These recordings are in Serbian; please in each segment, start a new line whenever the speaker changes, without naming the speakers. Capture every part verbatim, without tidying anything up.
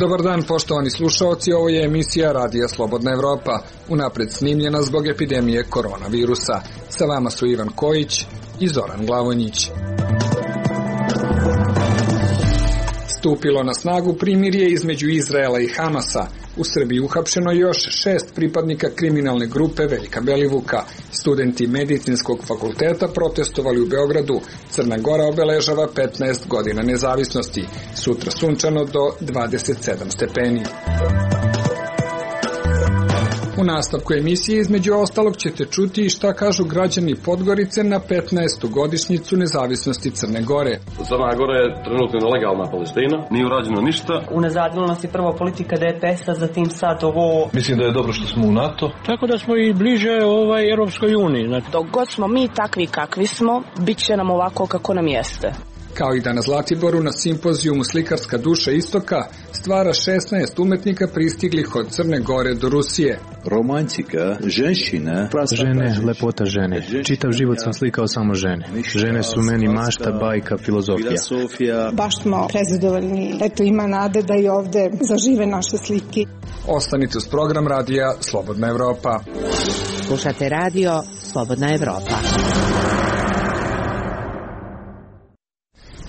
Dobar dan, poštovani slušaoci, ovo je emisija Radija Slobodna Evropa, unapred snimljena zbog epidemije koronavirusa. Sa vama su Ivan Kojić i Zoran Glavonjić. Stupilo na snagu primirje između Izraela i Hamasa. U Srbiji uhapšeno još šest pripadnika kriminalne grupe Veljka Belivuka. Studenti medicinskog fakulteta protestovali u Beogradu. Crna Gora obeležava petnaest godina nezavisnosti. Sutra sunčano do dvadeset sedam stepeni. U nastavku emisije između ostalog ćete čuti i šta kažu građani Podgorice na petnaestu godišnjicu nezavisnosti Crne Gore.
Crna Gora je trenutno nelegalna Palestina, nije urađeno ništa.
Unazadila nas je prvo politika D P S-a, zatim sad ovo.
Mislim da je dobro što smo u NATO.
Tako da smo i bliže ovaj Europskoj uniji. Znači.
Dok god smo mi takvi kakvi smo, bit će nam ovako kako nam jeste.
Kao i da na Zlatiboru na simpozijumu Slikarska duša istoka stvara šesnaest umetnika pristiglih od Crne Gore do Rusije.
Romantika, ženština,
žene, lepota žene. Čitav život sam slikao samo žene. Žene su meni mašta, bajka, filozofija.
Baš smo prezadovoljni. Eto, ima nade da i ovde zažive naše slike.
Ostanite uz program Radija Slobodna Evropa.
Slušate radio Slobodna Evropa.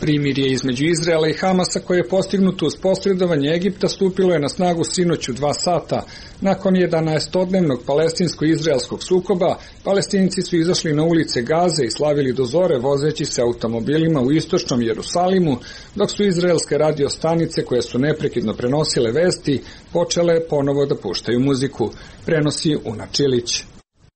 Primirje između Izraela i Hamasa koje je postignuto uz posredovanje Egipta stupilo je na snagu sinoć u dva sata. Nakon jedanaestodnevnog palestinsko-izraelskog sukoba, Palestinci su izašli na ulice Gaze i slavili do zore vozeći se automobilima u istočnom Jerusalimu, dok su izraelske radio stanice koje su neprekidno prenosile vesti počele ponovo da puštaju muziku. Prenosi Una Čilić.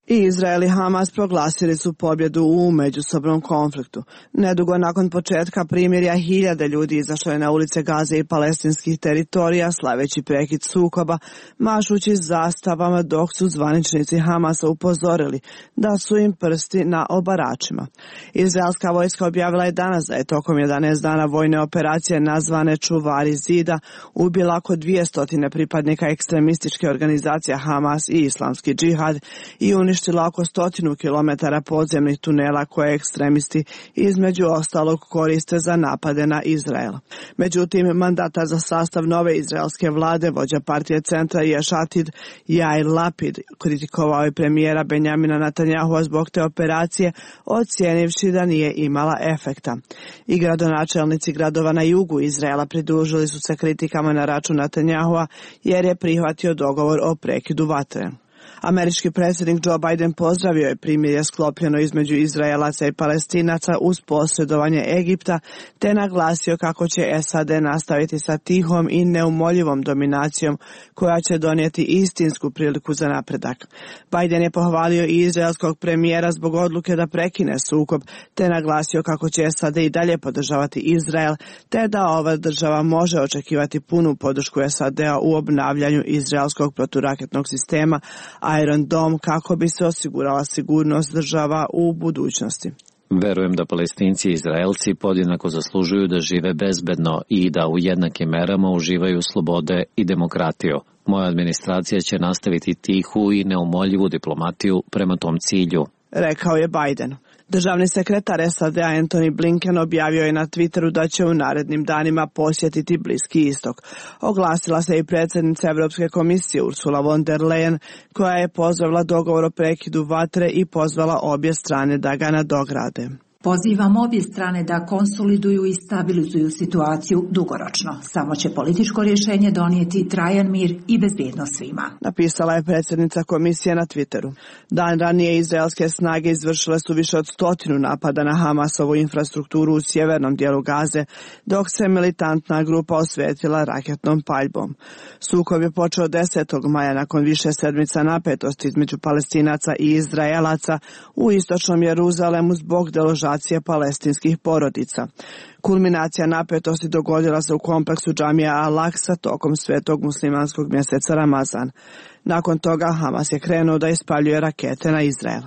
I Izrael i Hamas proglasili su pobjedu u međusobnom konfliktu. Nedugo nakon početka primirja hiljade ljudi izašlo je na ulice Gaze i palestinskih teritorija slaveći prekid sukoba, mašući zastavama, dok su zvaničnici Hamasa upozorili da su im prsti na obaračima. Izraelska vojska objavila je danas da je tokom jedanaest dana vojne operacije nazvane Čuvari zida ubila oko dvjesto pripadnika ekstremističke organizacije Hamas i Islamski džihad i uništila oko stotinu kilometara podzemnih tunela koje ekstremisti između ostalog koriste za napade na Izrael. Međutim, mandatar za sastav nove izraelske vlade, vođa partije centra Ješatid Jair Lapid, kritikovao je premijera Benjamina Netanjahua zbog te operacije, ocijenivši da nije imala efekta. I gradonačelnici gradova na jugu Izraela pridružili su se kritikama na račun Netanjahua jer je prihvatio dogovor o prekidu vatre. Američki predsjednik Joe Biden pozdravio je primirje sklopljeno između Izraelaca i Palestinaca uz posredovanje Egipta, te naglasio kako će S A D nastaviti sa tihom i neumoljivom dominacijom koja će donijeti istinsku priliku za napredak. Biden je pohvalio i izraelskog premijera zbog odluke da prekine sukob, te naglasio kako će S A D i dalje podržavati Izrael, te da ova država može očekivati punu podršku S A D-a u obnavljanju izraelskog proturaketnog sistema Iron Dome kako bi se osigurala sigurnost država u budućnosti.
Verujem da Palestinci i Izraelci podjednako zaslužuju da žive bezbedno i da u jednakim merama uživaju slobode i demokratiju. Moja administracija će nastaviti tihu i neumoljivu diplomatiju prema tom cilju,
rekao je Biden. Državni sekretar S A D-a Antony Blinken objavio je na Twitteru da će u narednim danima posjetiti Bliski istok. Oglasila se i predsjednica Evropske komisije Ursula von der Leyen, koja je pozvala dogovor o prekidu vatre i pozvala obje strane da ga nadograde.
Pozivam obje strane da konsoliduju i stabilizuju situaciju dugoročno. Samo će političko rješenje donijeti trajan mir i bezbjednost svima,
napisala je predsjednica komisije na Twitteru. Dan ranije izraelske snage izvršile su više od stotinu napada na Hamasovu infrastrukturu u sjevernom dijelu Gaze, dok se militantna grupa osvetila raketnom paljbom. Sukob je počeo desetog maja nakon više sedmica napetosti između Palestinaca i Izraelaca u istočnom Jeruzalemu zbog deložacije izolacije palestinskih porodica. Kulminacija napetosti dogodila se u kompleksu džamija Al-Aksa tokom svetog muslimanskog mjeseca Ramazan. Nakon toga Hamas je krenuo da ispaljuje rakete na Izrael.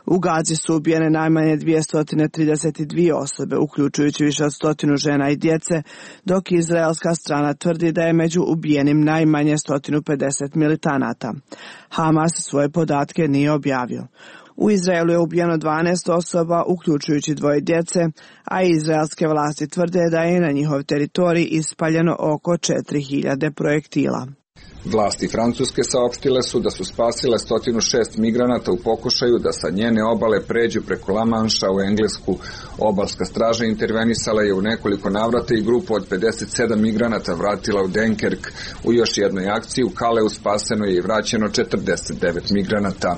U Gazi su ubijene najmanje dvjesto trideset dvije osobe, uključujući više od stotinu žena i djece, dok izraelska strana tvrdi da je među ubijenim najmanje sto pedeset militanata. Hamas svoje podatke nije objavio. U Izraelu je ubijeno dvanaest osoba, uključujući dvoje djece, a izraelske vlasti tvrde da je na njihov teritorij ispaljeno oko četiri hiljade projektila.
Vlasti Francuske saopštile su da su spasile sto šest migranata u pokušaju da sa njene obale pređu preko La Manša u Englesku. Obalska straža intervenisala je u nekoliko navrata i grupu od pedeset sedam migranata vratila u Dunkerque. U još jednoj akciji u Kaleu spaseno je i vraćeno četrdeset devet migranata.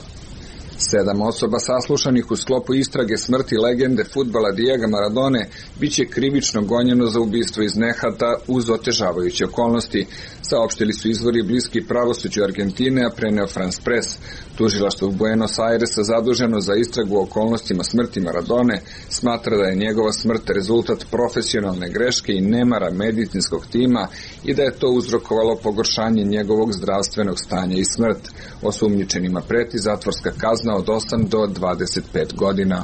Sedam osoba saslušanih u sklopu istrage smrti legende fudbala Diego Maradone biće krivično gonjeno za ubistvo iz nehata uz otežavajuće okolnosti, saopštili su izvori bliski pravosuđu Argentine, a preneo France Press. Tužilaštvo u Buenos Airesa zaduženo za istragu o okolnostima smrti Maradone smatra da je njegova smrt rezultat profesionalne greške i nemara medicinskog tima i da je to uzrokovalo pogoršanje njegovog zdravstvenog stanja i smrt. Osumnjičenima preti zatvorska kazna od osam do dvadeset pet godina.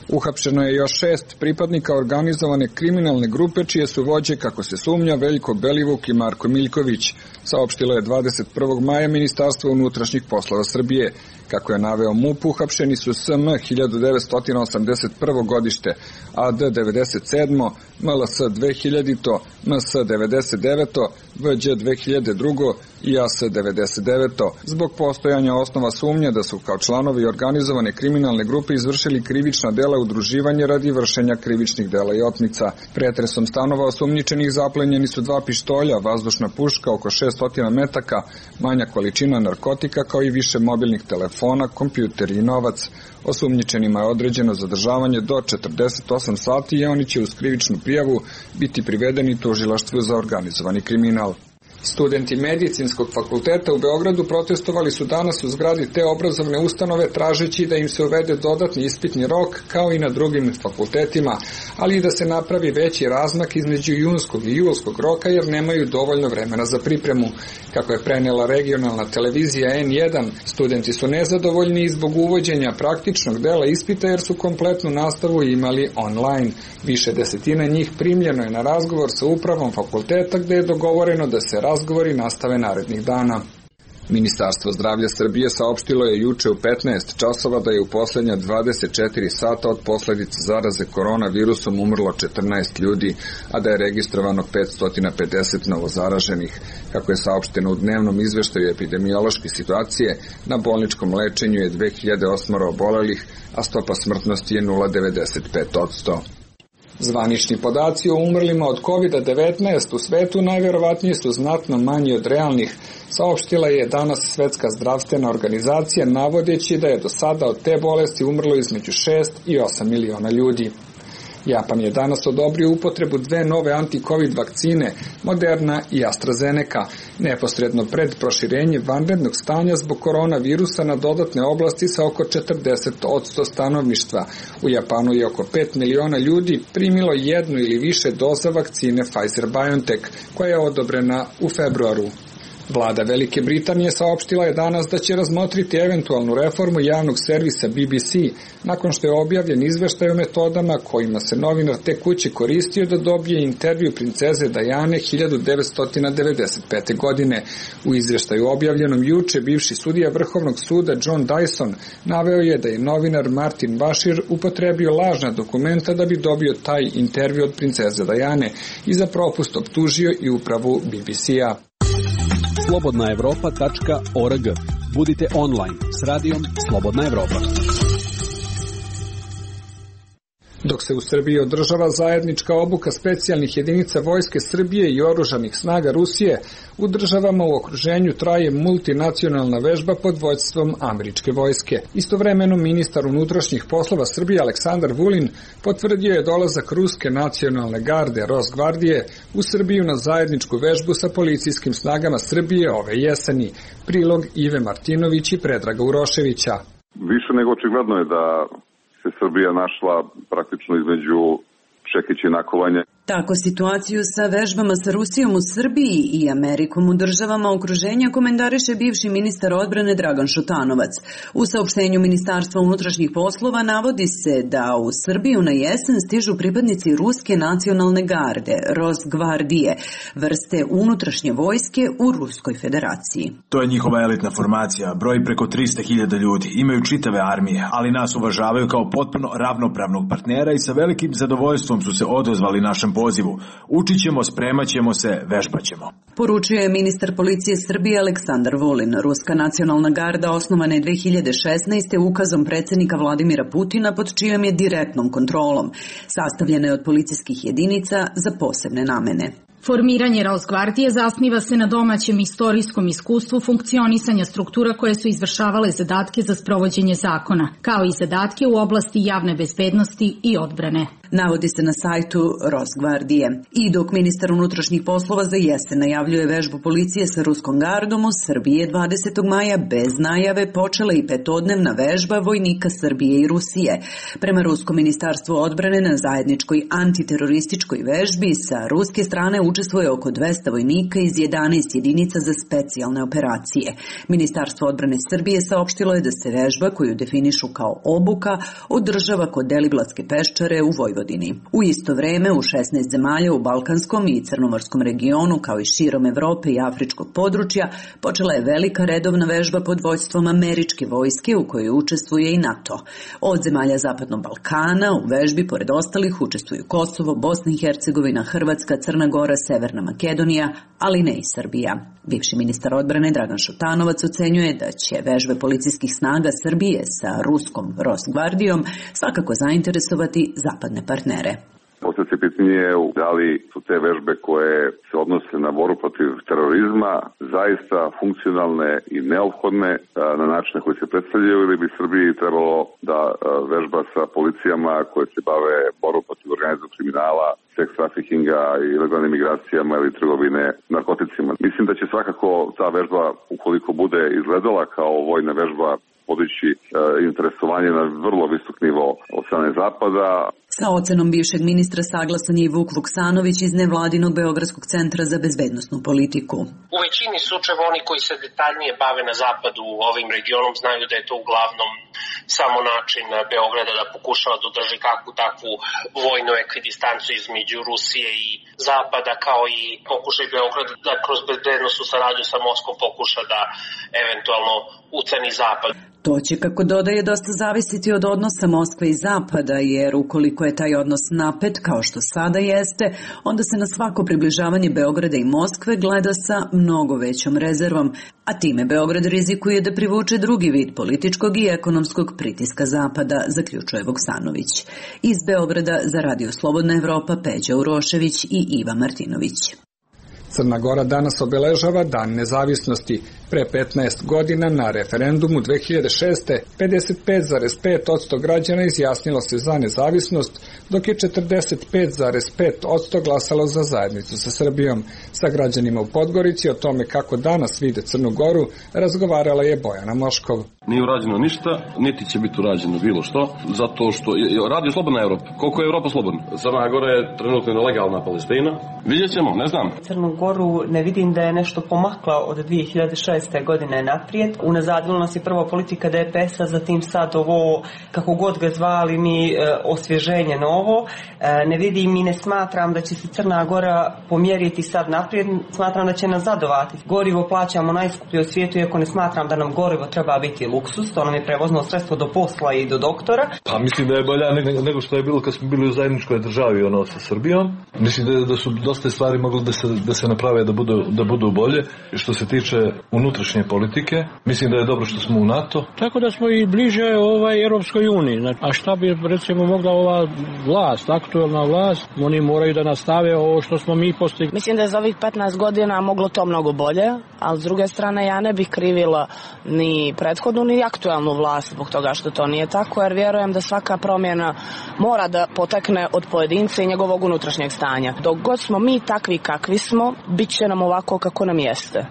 Uhapšeno je još šest pripadnika organizovane kriminalne grupe čije su vođe, kako se sumnja, Veljko Belivuk i Marko Miljković, saopštilo je dvadeset prvog maja Ministarstvo unutrašnjih poslova Srbije. Kako je naveo MUP, uhapšeni su S M hiljadu devetsto osamdeset prvo godište, A D devedeset sedmo, M L S dve hiljadito, M S devedeset deveto, V Đ dve hiljade drugo i A S devedeset deveto, zbog postojanja osnova sumnje da su kao članovi organizovane kriminalne grupe izvršili krivična dela udruživanja radi vršenja krivičnih dela i otmica. Pretresom stanova osumnjičenih zaplenjeni su dva pištolja, vazdušna puška, oko šessto metaka, manja količina narkotika kao i više mobilnih telefona, kompjuteri i novac. Osumnjičenima je određeno zadržavanje do četrdeset osam sati i oni će uz krivičnu prijavu biti privedeni tužilaštvu za organizovani kriminal. Studenti Medicinskog fakulteta u Beogradu protestovali su danas u zgradi te obrazovne ustanove tražeći da im se uvede dodatni ispitni rok kao i na drugim fakultetima, ali i da se napravi veći razmak između junskog i julskog roka jer nemaju dovoljno vremena za pripremu. Kako je prenela regionalna televizija N jedan, studenti su nezadovoljni i zbog uvođenja praktičnog dela ispita jer su kompletnu nastavu imali online. Više desetina njih primljeno je na razgovor sa upravom fakulteta gde je dogovoreno da se razgovori nastave narednih dana. Ministarstvo zdravlja Srbije saopštilo je juče u petnaest časova da je u poslednja dvadeset četiri sata od posledica zaraze koronavirusom umrlo četrnaest ljudi, a da je registrovano petsto pedeset novozaraženih. Kako je saopšteno u dnevnom izveštaju epidemiološke situacije, na bolničkom lečenju je dve hiljade osam obolelih, a stopa smrtnosti je nula zarez devedeset pet posto. Zvanični podaci o umrlima od kovid devetnaest u svetu najverovatnije su znatno manji od realnih, saopštila je danas Svetska zdravstvena organizacija navodeći da je do sada od te bolesti umrlo između šest i osam miliona ljudi. Japan je danas odobrio upotrebu dve nove anti-covid vakcine, Moderna i AstraZeneca, neposredno pred proširenje vanrednog stanja zbog koronavirusa na dodatne oblasti sa oko četrdeset posto stanovništva. U Japanu je oko pet miliona ljudi primilo jednu ili više doza vakcine Pfizer-BioNTech, koja je odobrena u februaru. Vlada Velike Britanije saopštila je danas da će razmotriti eventualnu reformu javnog servisa B B C nakon što je objavljen izveštaj o metodama kojima se novinar te kuće koristio da dobije intervju princeze Diane hiljadu devetsto devedeset pete. godine. U izveštaju objavljenom juče bivši sudija Vrhovnog suda John Dyson naveo je da je novinar Martin Bashir upotrebio lažna dokumenta da bi dobio taj intervju od princeze Diane i za propust optužio i upravu B B C-a.
slobodna evropa tačka org. Budite online s radijom Slobodna Evropa.
Dok se u Srbiji održava zajednička obuka specijalnih jedinica Vojske Srbije i oružanih snaga Rusije, u državama u okruženju traje multinacionalna vežba pod vođstvom američke vojske. Istovremeno ministar unutrašnjih poslova Srbije Aleksandar Vulin potvrdio je dolazak Ruske nacionalne garde Rosgvardije u Srbiju na zajedničku vežbu sa policijskim snagama Srbije ove jeseni. Prilog Ive Martinović i Predraga Uroševića.
Više nego očigledno je da se Srbija našla praktično između čekića i nakovanja.
Tako situaciju sa vežbama sa Rusijom u Srbiji i Amerikom u državama okruženja komentariše bivši ministar odbrane Dragan Šutanovac. U saopštenju Ministarstva unutrašnjih poslova navodi se da u Srbiju na jesen stižu pripadnici Ruske nacionalne garde, Rosgvardije, vrste unutrašnje vojske u Ruskoj federaciji.
To je njihova elitna formacija, broji preko tristo hiljada ljudi, imaju čitave armije, ali nas uvažavaju kao potpuno ravnopravnog partnera i sa velikim zadovoljstvom su se odozvali našem pozivu. Učit ćemo, spremat ćemo se, vežbat ćemo.
Poručio je ministar policije Srbije Aleksandar Vulin. Ruska nacionalna garda osnovana je dve hiljade šesnaeste. ukazom predsjednika Vladimira Putina pod čijom je direktnom kontrolom. Sastavljena je od policijskih jedinica za posebne namene.
Formiranje Rosgvardije zasniva se na domaćem istorijskom iskustvu funkcionisanja struktura koje su izvršavale zadatke za sprovođenje zakona, kao i zadatke u oblasti javne bezbednosti i odbrane.
Navodi se na sajtu Rosgvardije. I dok ministar unutrašnjih poslova za jesen najavljuje vežbu policije sa Ruskom gardom, u Srbiji je dvadesetog maja bez najave počela i petodnevna vežba vojnika Srbije i Rusije. Prema Ruskom ministarstvu odbrane na zajedničkoj antiterorističkoj vežbi sa ruske strane učestvuje oko dvesta vojnika iz jedanaest jedinica za specijalne operacije. Ministarstvo odbrane Srbije saopštilo je da se vežba, koju definišu kao obuka, održava kod Deliblatske peščare u Vojvodini. U isto vreme u šesnaest zemalja u Balkanskom i Crnomorskom regionu, kao i širom Evrope i afričkog područja, počela je velika redovna vežba pod vođstvom američke vojske u kojoj učestvuje i NATO. Od zemalja Zapadnog Balkana u vežbi pored ostalih učestvuju Kosovo, Bosna i Hercegovina, Hrvatska, Crna Gora, Severna Makedonija, ali ne i Srbija. Bivši ministar odbrane Dragan Šutanovac ocenjuje da će vežbe policijskih snaga Srbije sa ruskom Rosgvardijom svakako zainteresovati zapadne partnere.
Postavlja se pitanje da li su te vežbe koje se odnose na borbu protiv terorizma zaista funkcionalne i neophodne na načine koji se predstavljaju, ili bi Srbiji trebalo da vežba sa policijama koje se bave borbom protiv organizovanog kriminala, seks trafikinga i ilegalnim migracijama ili trgovine narkoticima. Mislim da će svakako ta vežba, ukoliko bude izgledala kao vojna vežba, podići e, interesovanje na vrlo visok nivo od strane Zapada.
Sa ocenom bivšeg ministra saglasan je i Vuk Vuksanović iz nevladinog Beogradskog centra za bezbednosnu politiku.
U većini slučajeva oni koji se detaljnije bave na zapadu ovim regionom znaju da je to uglavnom samo način Beograda da pokušava da održi kakvu takvu vojnu ekvidistancu između Rusije i Zapada, kao i pokušaj Beograda da kroz bezbednosnu saradnju sa Moskvom pokuša da eventualno uceni Zapad.
To će, kako dodaje, dosta zavisiti od odnosa Moskve i Zapada, jer ukoliko je taj odnos napet, kao što sada jeste, onda se na svako približavanje Beograda i Moskve gleda sa mnogo većom rezervom, a time Beograd rizikuje da privuče drugi vid političkog i ekonomskog pritiska Zapada, zaključuje Vuksanović. Iz Beograda za Radio Slobodna Evropa Peđa Urošević i Iva Martinović.
Crna Gora danas obeležava Dan nezavisnosti. Pre petnaest godina na referendumu dve hiljade šeste. pedeset pet zarez pet posto građana izjasnilo se za nezavisnost, dok je četrdeset pet zarez pet posto glasalo za zajednicu sa Srbijom. Sa građanima u Podgorici o tome kako danas vide Crnu Goru razgovarala je Bojana Moškov.
Nije urađeno ništa, niti će biti urađeno bilo što, zato što radi slobodna Evropa. Koliko je Evropa slobodna? Crna Gora je trenutno nelegalna Palestina. Vidjet ćemo, ne znam.
Crnu Goru ne vidim da je nešto pomakla od dve hiljade šeste. godine naprijed. Unazadila nas je prvo politika D P S-a, zatim sad ovo, kako god ga zvali mi, osvježenje novo. Ne vidim i ne smatram da će se Crna Gora pomjeriti sad naprijed. Smatram da će nas zadovati. Gorivo plaćamo najskuplje u svijetu, iako ne smatram da nam gorivo treba biti luksus. To nam je prevozno sredstvo do posla i do doktora.
Pa mislim da je bolja nego što je bilo kad smo bili u zajedničkoj državi, ono, sa Srbijom. Mislim da, da su dosta stvari mogli da se, da se naprave da budu, da budu bolje. Što se tiče unutrašnje politike, mislim da je dobro što smo u NATO.
Tako da smo i bliže ovaj Europskoj uniji. Znači, a šta bi recimo mogla ova vlast, aktualna vlast, oni moraju da nastave ovo što smo mi postigli.
Mislim da je za ovih petnaest godina moglo to mnogo bolje, ali s druge strane ja ne bih krivila ni prethodnu ni aktualnu vlast zbog toga što to nije tako, jer vjerujem da svaka promjena mora da potekne od pojedinca i njegovog unutrašnjeg stanja. Dok god smo mi takvi kakvi smo, bit će nam ovako kako nam jeste.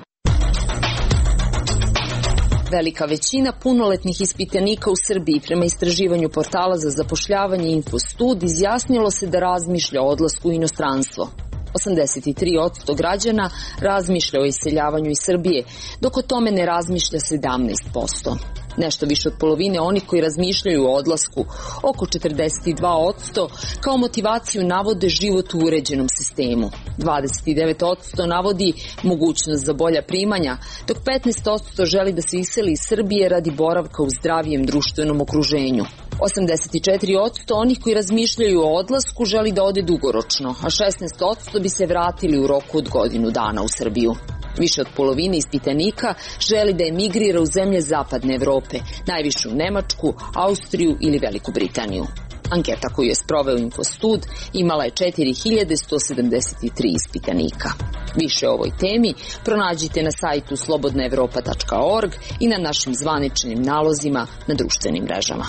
Velika većina punoletnih ispitanika u Srbiji prema istraživanju portala za zapošljavanje Infostud izjasnilo se da razmišlja o odlasku u inostranstvo. osamdeset tri posto građana razmišlja o iseljavanju iz Srbije, dok o tome ne razmišlja sedamnaest posto. Nešto više od polovine onih koji razmišljaju o odlasku, oko četrdeset dva posto, kao motivaciju navode život u uređenom sistemu. dvadeset devet posto navodi mogućnost za bolja primanja, dok petnaest posto želi da se iseli iz Srbije radi boravka u zdravijem društvenom okruženju. osamdeset četiri posto onih koji razmišljaju o odlasku želi da ode dugoročno, a šesnaest posto bi se vratili u roku od godinu dana u Srbiju. Više od polovine ispitanika želi da emigrira u zemlje zapadne Evrope, najviše u Nemačku, Austriju ili Veliku Britaniju. Anketa koju je sproveo Infostud imala je četiri hiljade sto sedamdeset tri ispitanika. Više o ovoj temi pronađite na sajtu slobodna evropa tačka org i na našim zvaničnim nalozima na društvenim mrežama.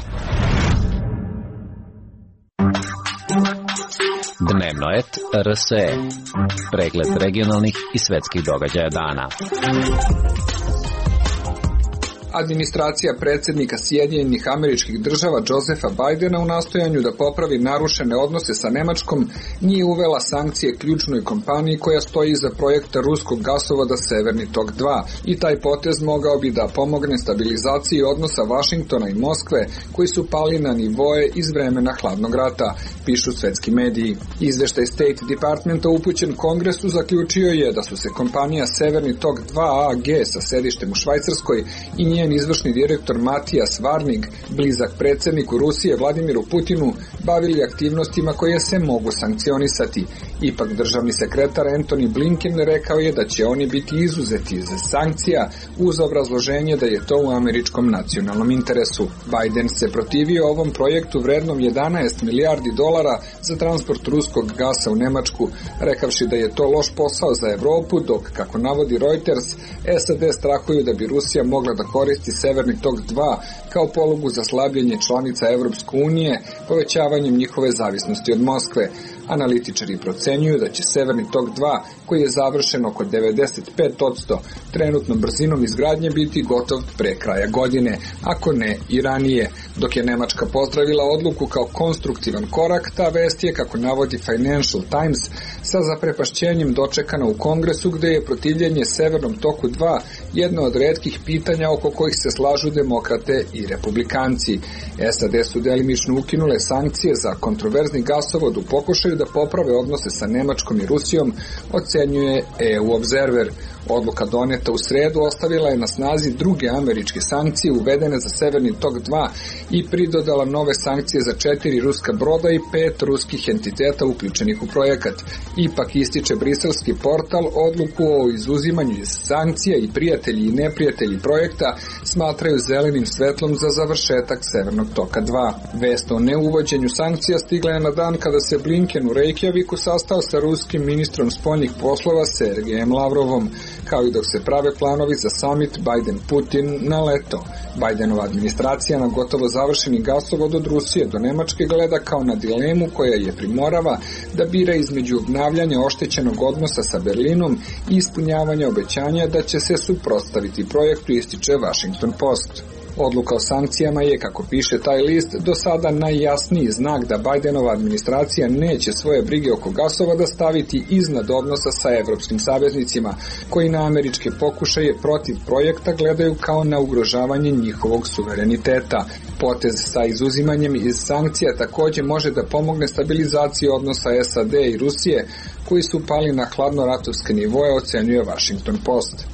Dnevnoet R S E. Pregled regionalnih i svetskih događaja dana.
Administracija predsjednika Sjedinjenih Američkih Država Josefa Bidena u nastojanju da popravi narušene odnose sa Nemačkom nije uvela sankcije ključnoj kompaniji koja stoji iza projekta ruskog gasovoda Severni tok dva i taj potez mogao bi da pomogne stabilizaciji odnosa Vašingtona i Moskve koji su pali na nivoe iz vremena hladnog rata, pišu svetski mediji. Izveštaj State Departmenta upućen Kongresu zaključio je da su se kompanija Severni tok dva A G sa sedištem u Švajcarskoj i njen izvršni direktor Matijas Varnig, blizak predsjedniku Rusije Vladimiru Putinu, bavili aktivnostima koje se mogu sankcionisati. Ipak državni sekretar Antony Blinken rekao je da će oni biti izuzeti iz sankcija uz obrazloženje da je to u američkom nacionalnom interesu. Biden se protivio ovom projektu vrednom jedanaest milijardi dolara za transport ruskog gasa u Nemačku, rekavši da je to loš posao za Evropu, dok, kako navodi Reuters, S A D strahuju da bi Rusija mogla da koristi Severni tok dva kao polugu za slabljenje članica Evropske unije, povećavanjem njihove zavisnosti od Moskve. Analitičari procenjuju da će Severni tok dva, koji je završen oko devedeset pet posto, trenutnom brzinom izgradnje biti gotov pre kraja godine, ako ne i ranije. Dok je Nemačka pozdravila odluku kao konstruktivan korak, ta vest je, kako navodi Financial Times, sa zaprepašćenjem dočekana u Kongresu, gde je protivljenje Severnom toku dva jedno od retkih pitanja oko kojih se slažu demokrate i republikanci. S A D su delimično ukinule sankcije za kontroverzni gasovod u pokušaju da poprave odnose sa Nemačkom i Rusijom, ocenjuje E U Observer. Odluka doneta u sredu ostavila je na snazi druge američke sankcije uvedene za Severni tok dva i pridodala nove sankcije za četiri ruska broda i pet ruskih entiteta uključenih u projekat. Ipak ističe briselski portal odluku o izuzimanju iz sankcija i prijatelji i neprijatelji projekta smatraju zelenim svetlom za završetak Severnog toka dva. Vest o neuvođenju sankcija stigla je na dan kada se Blinken u Reykjaviku sastao sa ruskim ministrom spoljnih poslova Sergejem Lavrovom, kao i dok se prave planovi za summit Biden-Putin na leto. Bidenova administracija na gotovo završeni gasovod od Rusije do Nemačke gleda kao na dilemu koja je primorava da bira između obnavljanja oštećenog odnosa sa Berlinom i ispunjavanja obećanja da će se suprotstaviti projektu, ističe Washington Post. Odluka o sankcijama je, kako piše taj list, do sada najjasniji znak da Bidenova administracija neće svoje brige oko gasovoda staviti iznad odnosa sa evropskim saveznicima, koji na američke pokušaje protiv projekta gledaju kao na ugrožavanje njihovog suvereniteta. Potez sa izuzimanjem iz sankcija također može da pomogne stabilizaciji odnosa S A D i Rusije, koji su pali na hladnoratovske nivoje, ocenjuje Washington Post.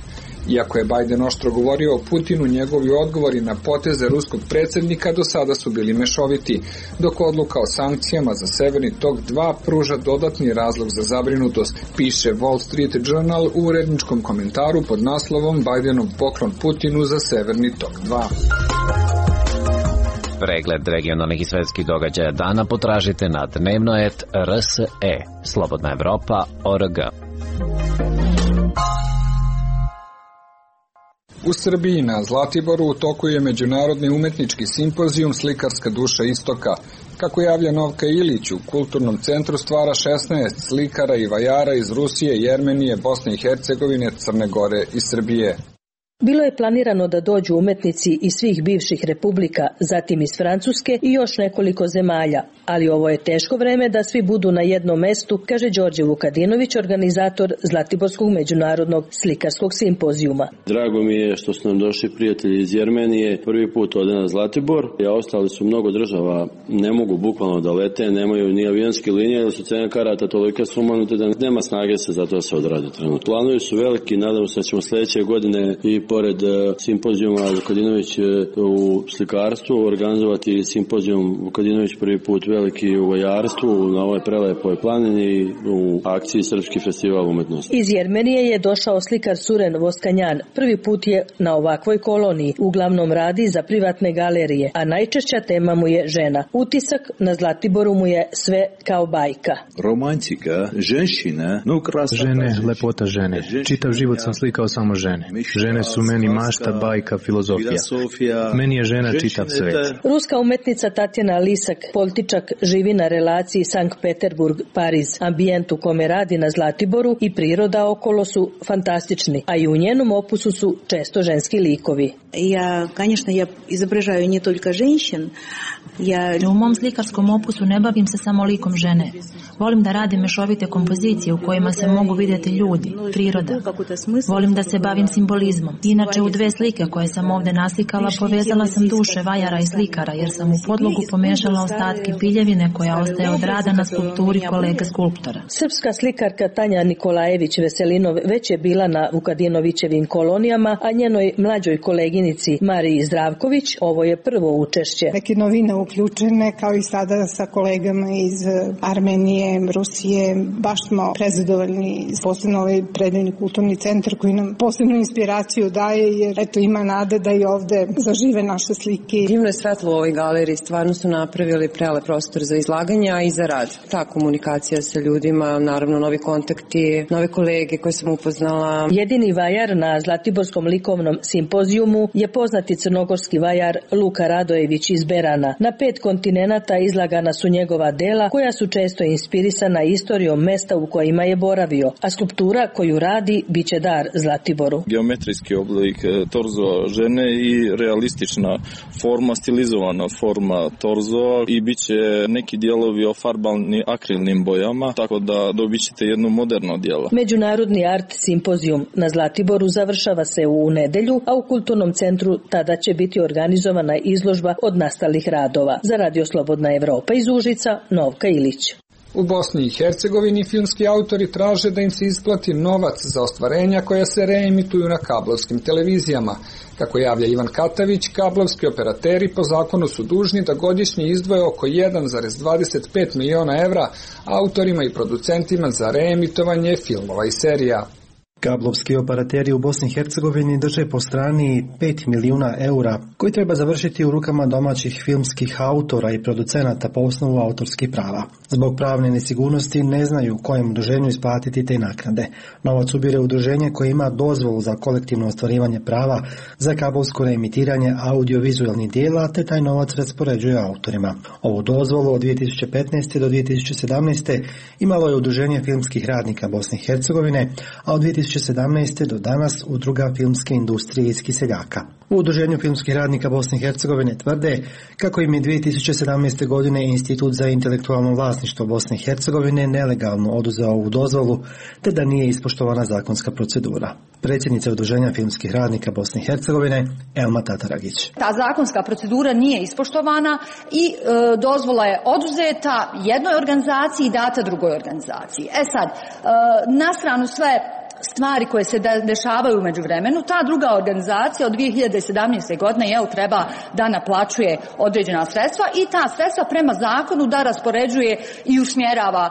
Iako je Biden oštro govorio o Putinu, njegovi odgovori na poteze ruskog predsjednika do sada su bili mešoviti, dok odluka o sankcijama za Severni tok dva pruža dodatni razlog za zabrinutost, piše Wall Street Journal u uredničkom komentaru pod naslovom Bidenov poklon Putinu za Severni tok dva.
Pregled regionalnih i svetskih događaja dana potražite na dnevnoet R S E, Slobodna Evropa, O R G.
U Srbiji na Zlatiboru u toku je međunarodni umetnički simpozijum Slikarska duša istoka. Kako javlja Novka Ilić, u kulturnom centru stvara šesnaest slikara i vajara iz Rusije, Jermenije, Bosne i Hercegovine, Crne Gore i Srbije.
Bilo je planirano da dođu umetnici iz svih bivših republika, zatim iz Francuske i još nekoliko zemalja, ali ovo je teško vreme da svi budu na jednom mestu, kaže Đorđe Vukadinović, organizator Zlatiborskog međunarodnog slikarskog simpozijuma.
Drago mi je što su nam došli prijatelji iz Jermenije, prvi put ode na Zlatibor, a ostali su mnogo država, ne mogu bukvalno da lete, nemaju ni avionske linije, jer su cene karata toliko sumanute da nema snage se za to se odrade trenutno. Planovi su veliki, nadam se da ćemo sledeće godine i pored simpozijuma Vukadinović u slikarstvu organizovati simpozijum Vukadinović prvi put veliki u vojarstvu na ovoj prelepoj planini u akciji Srpski festival umetnosti.
Iz Jermenije je došao slikar Suren Voskanjan. Prvi put je na ovakvoj koloniji. Uglavnom radi za privatne galerije, a najčešća tema mu je žena. Utisak na Zlatiboru mu je sve kao bajka.
Romantika, ženšina, no krasa.
Žene, lepota žene. Čitav život sam slikao samo žene. Žene su meni mašta, bajka, filozofija. Meni je žena čitav svet.
Ruska umetnica Tatjana Lisak, političak, živi na relaciji Sankt Peterburg-Pariz. Ambijent u kome radi na Zlatiboru i priroda okolo su fantastični, a i u njenom opusu su često ženski likovi.
Ja, конечно, я изображаю не только женщин. Ja...
U mom slikarskom opusu ne bavim se samo likom žene. Volim da radim mešovite kompozicije u kojima se mogu vidjeti ljudi, priroda. Volim da se bavim simbolizmom. Inače, u dve slike koje sam ovdje naslikala povezala sam duše vajara i slikara, jer sam u podlogu pomešala ostatke piljevine koja ostaje od rada na skulpturi kolega skulptora.
Srpska slikarka Tanja Nikolajević Veselinov već je bila na Vukadinovićevim kolonijama, a njenoj mlađoj koleginici Mariji Zdravković ovo je prvo učešće.
Neke novine uključene, kao i sada sa kolegama iz Armenije, Rusije. Baš smo prezadovoljni, posebno ovaj predeljni kulturni centar koji nam posebnu inspiraciju daje, jer eto ima nade da i ovde zažive naše slike.
Divno je svetlo u ovoj galeriji, stvarno su napravili prelep prostor za izlaganje, a i za rad. Ta komunikacija sa ljudima, naravno novi kontakti, nove kolege koje sam upoznala.
Jedini vajar na Zlatiborskom likovnom simpozijumu je poznati crnogorski vajar Luka Radojević iz Berana. Na pet kontinenata izlagana su njegova dela koja su često inspirisana istorijom mesta u kojima je boravio, a skulptura koju radi biće dar Zlatiboru.
Geometrijski oblik torzoa žene i realistična forma, stilizovana forma torzoa i biće neki dijelovi ofarbani akrilnim bojama, tako da dobit ćete jedno moderno dijelo.
Međunarodni art simpozijum na Zlatiboru završava se u nedelju, a u kulturnom centru tada će biti organizovana izložba od nastalih radova. Za Radio Slobodna Evropa iz Užica, Novka Ilić.
U Bosni i Hercegovini filmski autori traže da im se isplati novac za ostvarenja koja se reemituju na kablovskim televizijama. Kako javlja Ivan Katavić, kablovski operateri po zakonu su dužni da godišnje izdvoje oko jedan zarez dvadeset pet miliona evra autorima i producentima za reemitovanje filmova i serija.
Kablovski operateri u Bosni i Hercegovini drže po strani pet milijuna eura, koji treba završiti u rukama domaćih filmskih autora i producenata po osnovu autorskih prava. Zbog pravne nesigurnosti ne znaju kojem udruženju isplatiti te naknade. Novac ubire udruženje koje ima dozvolu za kolektivno ostvarivanje prava za kablovsko reemitiranje audiovizualnih dijela, te taj novac raspoređuje autorima. Ovu dozvolu od dvije tisuće petnaeste do dvije tisuće sedamnaeste imalo je udruženje filmskih radnika Bosne i Hercegovine, a od dvije tisuće sedamnaeste do danas Udruga filmske industrije iz Kiseljaka. U Udruženju filmskih radnika Bosne i Hercegovine tvrde kako im je dvije tisuće sedamnaeste godine Institut za intelektualno vlasništvo Bosne i Hercegovine nelegalno oduzeo ovu dozvolu, te da nije ispoštovana zakonska procedura. Predsjednica Udruženja filmskih radnika Bosne i Hercegovine Elma Tataragić.
Ta zakonska procedura nije ispoštovana i e, dozvola je oduzeta jednoj organizaciji i data drugoj organizaciji. E sad, e, na stranu sve stvari koje se dešavaju umeđu vremenu, ta druga organizacija od dvije hiljade sedamnaeste godine jel, treba da naplaćuje određena sredstva i ta sredstva prema zakonu da raspoređuje i usmjerava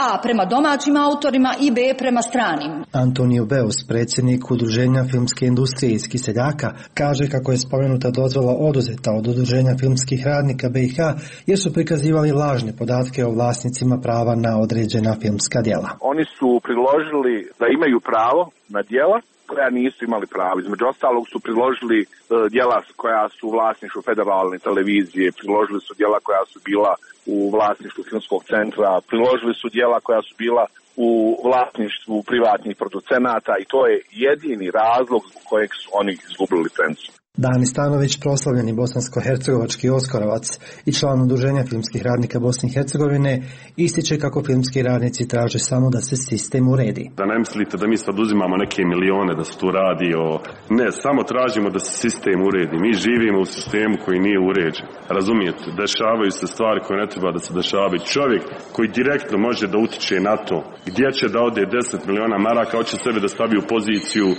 a prema domaćim autorima i b prema stranim.
Antonio Beus, predsjednik Udruženja filmske industrije iz Kiseljaka, kaže kako je spomenuta dozvola oduzeta od Udruženja filmskih radnika B i H jer su prikazivali lažne podatke o vlasnicima prava na određena filmska djela.
Oni su priložili da imaju pravo na djela koja nisu imali pravo. Između ostalog su priložili uh, djela koja su u vlasništvu federalne televizije, priložili su djela koja su bila u vlasništvu filmskog centra, priložili su djela koja su bila u vlasništvu privatnih producenata i to je jedini razlog zbog kojeg su oni izgubili licencu.
Dani Stanović, proslavljeni bosansko-hercegovački oskarovac i član udruženja filmskih radnika Bosne i Hercegovine, ističe kako filmski radnici traže samo da se sistem uredi.
Da ne mislite da mi sad uzimamo neke milione da se tu radi o... Ne, samo tražimo da se sistem uredi. Mi živimo u sistemu koji nije uređen. Razumijete, dešavaju se stvari koje ne treba da se dešavaju. Čovjek koji direktno može da utiče na to gdje će da ode deset miliona maraka, hoće sebe da stavi u poziciju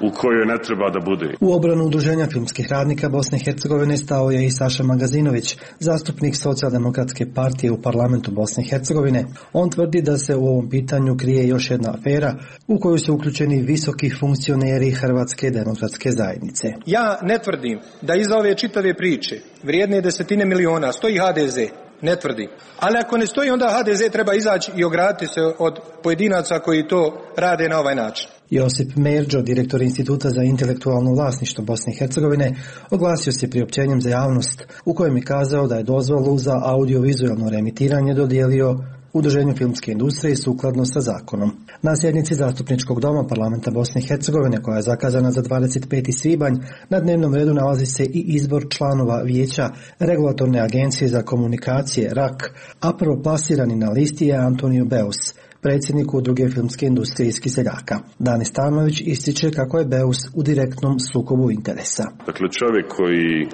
u kojoj ne treba da bude.
U obranu udruženja filmskih radnika Bosne i Hercegovine stao je i Saša Magazinović, zastupnik Socijaldemokratske partije u parlamentu Bosne i Hercegovine. On tvrdi da se u ovom pitanju krije još jedna afera u koju su uključeni visoki funkcioneri Hrvatske demokratske zajednice.
Ja ne tvrdim da iza ove čitave priče vrijedne desetine miliona stoji ha de ze. Ne tvrdim. Ali ako ne stoji, onda ha de ze treba izaći i ograditi se od pojedinaca koji to rade na ovaj način.
Josip Merđo, direktor Instituta za intelektualno vlasništvo Bosne i Hercegovine, oglasio se priopćenjem za javnost u kojem je kazao da je dozvolu za audiovizualno reemitiranje dodijelio Udruženju filmske industrije sukladno sa zakonom. Na sjednici Zastupničkog doma parlamenta Bosne i Hercegovine, koja je zakazana za dvadeset peti svibanj, na dnevnom redu nalazi se i izbor članova vijeća Regulatorne agencije za komunikacije R A K, a prvoplasirani na listi je Antonio Beus, predsjednik Udruge filmske industrije iz Kiseljaka. Dani Stanović ističe kako je Beus u direktnom sukobu interesa.
Dakle, čovjek koji,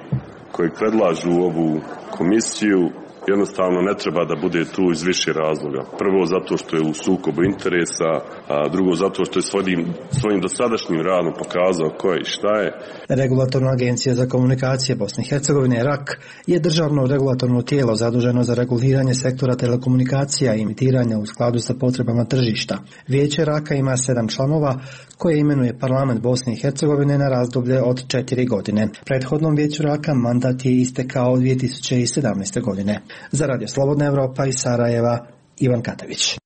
koji predlažu ovu komisiju jednostavno ne treba da bude tu iz više razloga. Prvo zato što je u sukobu interesa, a drugo zato što je svojim, svojim dosadašnjim radom pokazao ko je i šta je.
Regulatorna agencija za komunikacije Bosne i Hercegovine R A K je državno regulatorno tijelo zaduženo za reguliranje sektora telekomunikacija i emitiranja u skladu sa potrebama tržišta. Vijeće R A K-a ima sedam članova koje imenuje parlament Bosne i Hercegovine na razdoblje od četiri godine. Prethodnom vijeću R A K-a mandat je istekao dvije tisuće sedamnaeste. godine. Za Radio Slobodna Evropa iz Sarajeva, Ivan Katavić.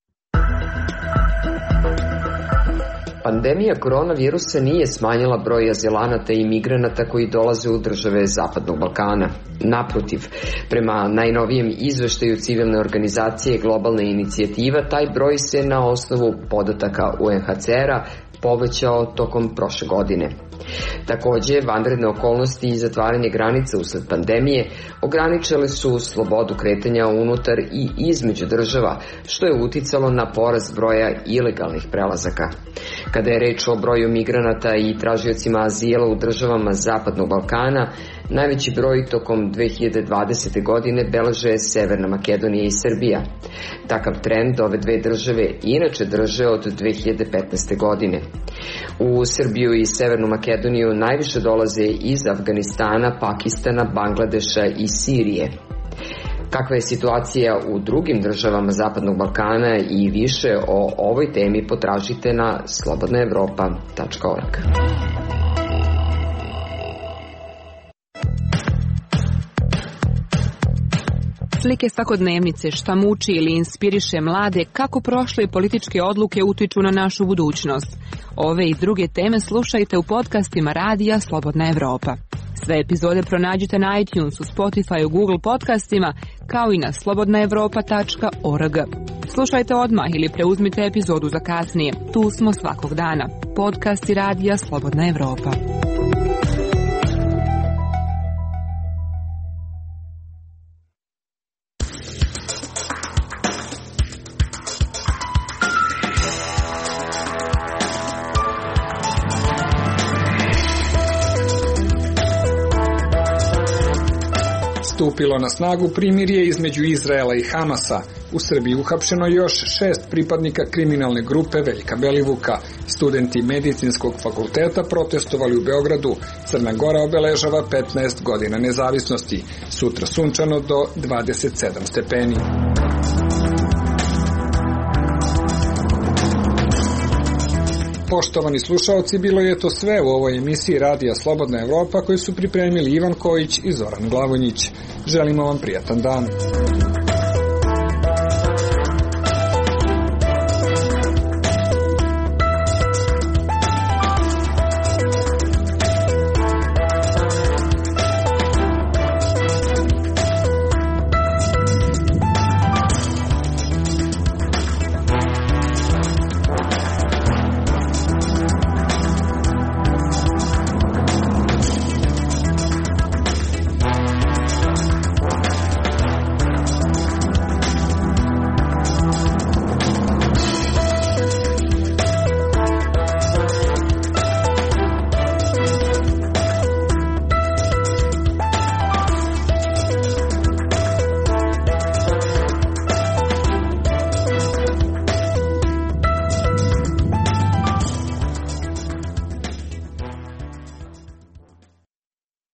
Pandemija koronavirusa nije smanjila broj azilanata i migranata koji dolaze u države Zapadnog Balkana. Naprotiv, prema najnovijem izveštaju civilne organizacije Globalna inicijativa, taj broj se na osnovu podataka U N H C R-a povećao tokom prošle godine. Takođe, vanredne okolnosti i zatvaranje granica usled pandemije ograničile su slobodu kretanja unutar i između država, što je uticalo na porast broja ilegalnih prelazaka. Kada je reč o broju migranata i tražiocima azila u državama Zapadnog Balkana, najveći broj tokom dve hiljade dvadesete. godine beleže Severna Makedonija i Srbija. Takav trend ove dve države inače drže od dve hiljade petnaeste. godine. U Srbiju i Severnu Makedoniju najviše dolaze iz Afganistana, Pakistana, Bangladeša i Sirije. Kakva je situacija u drugim državama Zapadnog Balkana i više o ovoj temi potražite na slobodna evropa tačka org.
Slike svakodnevnice, šta muči ili inspiriše mlade, kako prošle političke odluke utiču na našu budućnost. Ove i druge teme slušajte u podcastima Radija Slobodna Evropa. Sve epizode pronađite na iTunesu, Spotify, Google podcastima, kao i na slobodna evropa tačka org. Slušajte odmah ili preuzmite epizodu za kasnije. Tu smo svakog dana. Podcasti Radija Slobodna Evropa.
Stupilo na snagu primirje između Izraela i Hamasa. U Srbiji uhapšeno još šest pripadnika kriminalne grupe Veljka Belivuka. Studenti medicinskog fakulteta protestovali u Beogradu. Crna Gora obeležava petnaest godina nezavisnosti. Sutra sunčano do dvadeset sedam stepeni. Poštovani slušaoci, bilo je to sve u ovoj emisiji Radija Slobodna Evropa koju su pripremili Ivan Kojić i Zoran Glavonjić. Želimo vam prijatan dan.